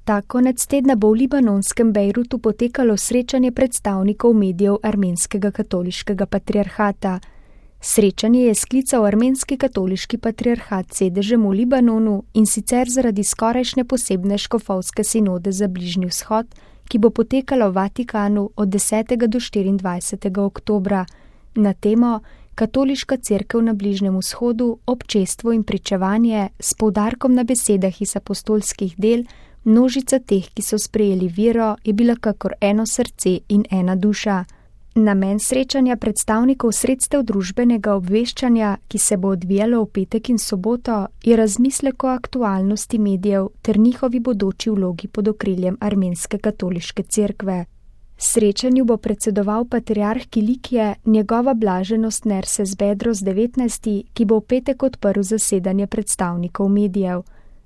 Ta konec tedna bo v libanonskem Bejrutu potekalo srečanje predstavnikov medijev armenskega katoliškega patriarhata. Srečanje je sklical armenski katoliški patriarhat s sedežem v Libanonu, in sicer zaradi skorajšnje posebne škofovske sinode za Bližnji vzhod, ki bo potekala v Vatikanu od 10. do 24. oktobra na temo Katoliška cerkev na Bližnjem vzhodu, občestvo in pričevanje, s poudarkom na besedah iz apostolskih del. Množica teh, ki so sprejeli vero, je bila kakor eno srce in ena duša. Namen srečanja predstavnikov sredstev družbenega obveščanja, ki se bo odvijalo v petek in soboto, je razmislek o aktualnosti medijev ter njihovi bodoči vlogi pod okriljem armenske katoliške cerkve. Srečanju bo predsedoval patriarh Kilikije, njegova blaženost Nerses Bedros 19., ki bo v petek odprl zasedanje predstavnikov medijev.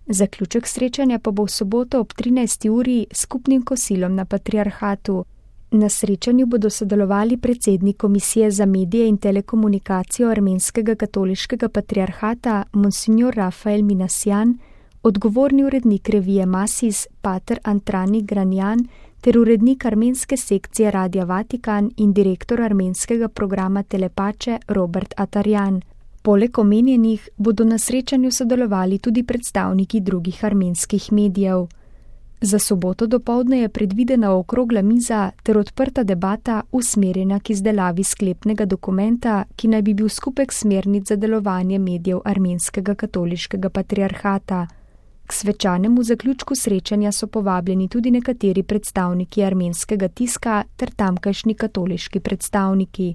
Zaključek srečanja pa bo v soboto ob 13. uri s skupnim kosilom na patriarhatu. Na srečanju bodo sodelovali predsednik Komisije za medije in telekomunikacijo armenskega katoliškega patriarhata Monsignor Rafael Minasjan, odgovorni urednik revije Masis pater Antrani Granjan ter urednik armenske sekcije Radia Vatikan in direktor armenskega programa Telepače Robert Atarjan. Poleg omenjenih bodo na srečanju sodelovali tudi predstavniki drugih armenskih medijev. Za soboto dopoldne je predvidena okrogla miza ter odprta debata usmerjena k izdelavi sklepnega dokumenta, ki naj bi bil skupek smernic za delovanje medijev armenskega katoliškega patriarhata. K svečanemu zaključku srečanja so povabljeni tudi nekateri predstavniki armenskega tiska ter tamkajšnji katoliški predstavniki.